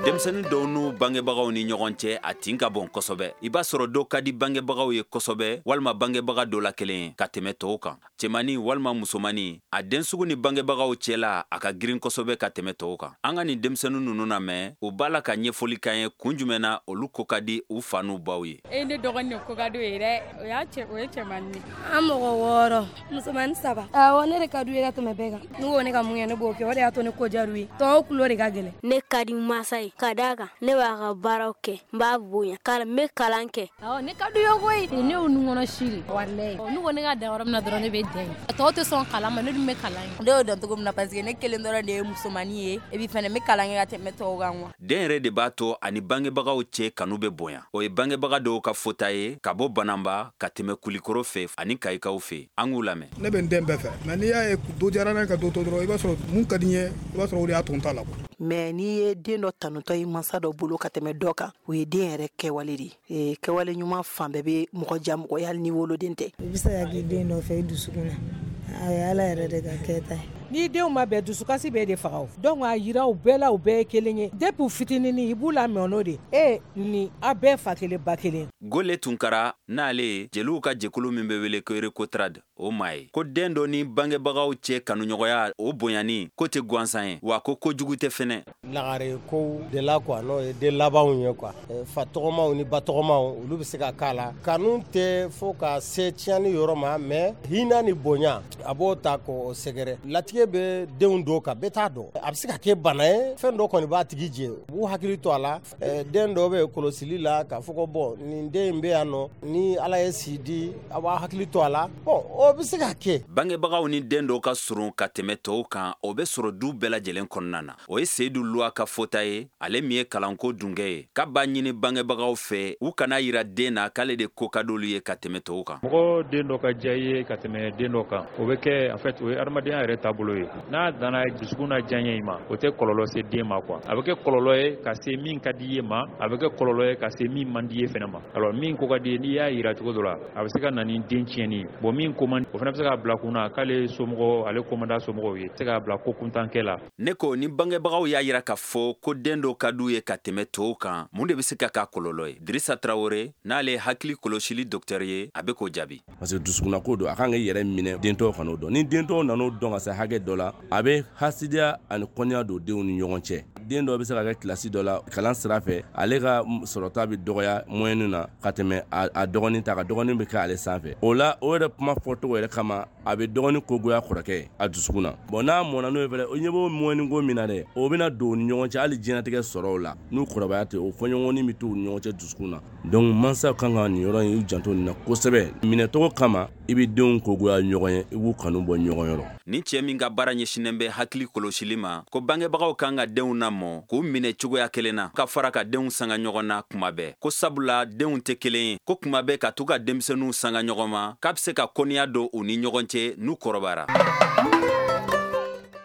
Denmisɛnnin dɔw n'u bangebagaw ni ɲɔgɔn cɛ, a tin ka bon kosɛbɛ. I b'a sɔrɔ dɔ ka di bangebagaw ye kosɛbɛ, walima bangebaga dɔ la kelen ye ka tɛmɛ tɔw kan. Cɛmannin walima musomannin, a den sugu ni bangebagaw cɛla, a ka girin kosɛbɛ ka tɛmɛ tɔw kan. An ka nin denmisɛnnin ninnu lamɛn, u b'a la ka ɲɛfɔli k'an ye kun jumɛn na olu ko ka di u fa n'u baw ye. E, ne dɔgɔnin de ko ka di o ye dɛ. O y'a cɛ, o ye cɛmannin ye. An mɔgɔ 6, musomannin 3. Awɔ, ne de ka d'u ye ka tɛmɛ bɛɛ kan. N'u ko ne ka mun kɛ, ne b'o kɛ. O de y'a to ne ko diyar'u ye. Tɔw tulo de ka gɛlɛn. Ne ka di mansa ye ka d'a kan ne b'a ka baaraw kɛ, n b'a bonya, n bɛ kalan kɛ. Awɔ, ne ka d'u ye koyi. Ne y'u nunkɔnɔ si de walayi. N'u ko ne ka dan yɔrɔ min na dɔrɔn, ne bɛ dan yen. Tɔw tɛ sɔn kalan ma, ne dun bɛ kalan kɛ. Ne y'o dɔn cogo min na, parce que ne kelen dɔrɔn de ye musomannin ye, et puis fɛnɛ n bɛ kalan kɛ ka tɛmɛ tɔw kan quoi. Den yɛrɛ de b'a to ani bangebagaw cɛ kanu bɛ bonya. O ye bangebaga dɔw ka fɔta ye ka bɔ Bananba ka tɛmɛ Kulikɔrɔ fɛ ani Kayikaw fɛ. An k'u lamɛn. Ne bɛ n den bɛɛ fɛ, mais n'i y'a ye dɔ diyara ne ka dɔ to dɔrɔn, i b'a sɔrɔ mun ka di n ye, i b'a sɔrɔ o de y'a to n ta la. Mais n'i ye den dɔ tanutɔ ye mansa dɔ bolo ka tɛmɛ dɔ kan, o ye den yɛrɛ kɛwale de ye. Kɛwale ɲuman fan bɛɛ bɛ mɔgɔ ja mɔgɔ ye, hali ni woloden tɛ. I bɛ se ka k'i den dɔ fɛ i dusukun na, a ye Ala yɛrɛ de ka kɛta ye. N'i denw ma bɛn, dusukasi b'e de faga o. Donc a yira u bɛɛ la, u bɛɛ ye kelen ye depuis u fitininin, i b'u lamɔ n'o de e ni a bɛɛ fa kelen ba kelen. Gole Tunkara, n'ale ye jeliw ka jɛkulu min bɛ wele ko Recotrade, o maa ye, ko den dɔ ni bangebagaw cɛ kanuɲɔgɔnya, o bonyani ko tɛ gansan ye, wa ko kojugu tɛ fɛnɛ. Lagare kow de la quoi, n'o ye den labanw ye quoi, fa tɔgɔmaw ni ba tɔgɔmaw, olu bɛ se ka k'a la. Kanu tɛ fo ka se tiɲɛni yɔrɔ ma, mais hinɛ ni bonya, a b'o ta k'o sɛgɛrɛ. Latigɛ bɛ denw dɔw kan, bɛɛ t'a dɔn, a bɛ se ka kɛ bana ye, fɛn dɔ kɔni b'a tigi jɛ, u b'u hakili to a la. Den dɔw bɛ kɔlɔsili la k'a fɔ ko bon, nin den in bɛ yan nɔ, ni Ala ye si di, a b'a hakili to a la. Bon, o bɛ se ka kɛ. Bangebagaw ni den dɔw ka surun ka tɛmɛ tɔw kan, o bɛ sɔrɔ du bɛɛ lajɛlen kɔnɔna na. O ye Seyidu Luwa ka fɔta ye, ale min ye kalanko dunkɛ ye, k'a b'a ɲini bangebagaw fɛ u kana yira den na k'ale de ko ka d'olu ye ka tɛmɛ tɔw kan. Mɔgɔ den dɔ ka diya i ye ka tɛmɛ den dɔ kan, o bɛ kɛ, en fait, o ye adamadenya yɛrɛ taabolo ye. N'a danna dusukun na diyaɲɛ in ma, o tɛ kɔlɔlɔ se den ma quoi. A bɛ kɛ kɔlɔlɔ ye ka se min ka di i ye ma, a bɛ kɛ kɔlɔlɔ ye ka se min man di i ye fɛnɛ ma. Alors min ko ka di ye, n'i y'a yira cogo dɔ la, a bɛ se ka na ni den tiɲɛni ye. Bon, min ko man, o fana bɛ se k'a bila kun na k'ale somɔgɔ, ale ko man d'a somɔgɔw ye, se k'a bila ko kuntankɛ la. Ne ko ni bangebagaw y'a yira k'a fɔ ko den dɔ ka d'u ye ka tɛmɛ tɔw kan, mun de bɛ se ka k'a kɔlɔlɔ ye? Dirisa Tarawele, n'ale ye hakili kɔlɔsili docteur ye, a bɛ k'o jaabi. Parce que dusukunnako don, a kan k'i yɛrɛ minɛ, den tɔw kan'o dɔn. Ni den tɔw nan'o dɔn ka se hakɛ dɔ la, a bɛ hasidiya ani kɔniya don denw ni ɲɔgɔn cɛ. Den dɔ bɛ se ka kɛ kilasi dɔ la kalan sira fɛ, ale ka sɔrɔta bɛ dɔgɔya moyenne na ka tɛmɛ a dɔgɔnin ta kan, dɔgɔnin bɛ kɛ ale sanfɛ. O la, o yɛrɛ kuma fɔcogo yɛrɛ kama, a bɛ dɔgɔnin kogoya kɔrɔkɛ a dusukun na. Bon, n'a mɔnna n'o ye fɛnɛ, o ɲɛ b'o moyenne ko min na dɛ, o bɛna don u ni ɲɔgɔn cɛ hali diɲɛlatigɛ sɔrɔw la. N'u kɔrɔbaya tɛ, o fɔɲɔgɔnni bɛ to u ni ɲɔgɔn cɛ dusukun na. Donc mansaw kan ka nin yɔrɔ in, u janto nin na kosɛbɛ. Minɛcogo kama, i bɛ denw kogoya ɲɔgɔn ye, i b'u kanu bɔ ɲɔgɔn yɔrɔ. Ni cɛ min ka baara ɲɛsinnen bɛ hakili kɔlɔsili ma, ko bangebagaw kan ka denw lamɔ k'u minɛ cogoya kelen na, ka fara ka denw sanga ɲɔgɔn na kuma bɛɛ, ko sabula denw tɛ kelen ye, ko kuma bɛɛ ka to ka denmisɛnninw sanga ɲɔgɔn ma, k'a bɛ se ka kɔniya don u ni ɲɔgɔn cɛ n'u kɔrɔbayara.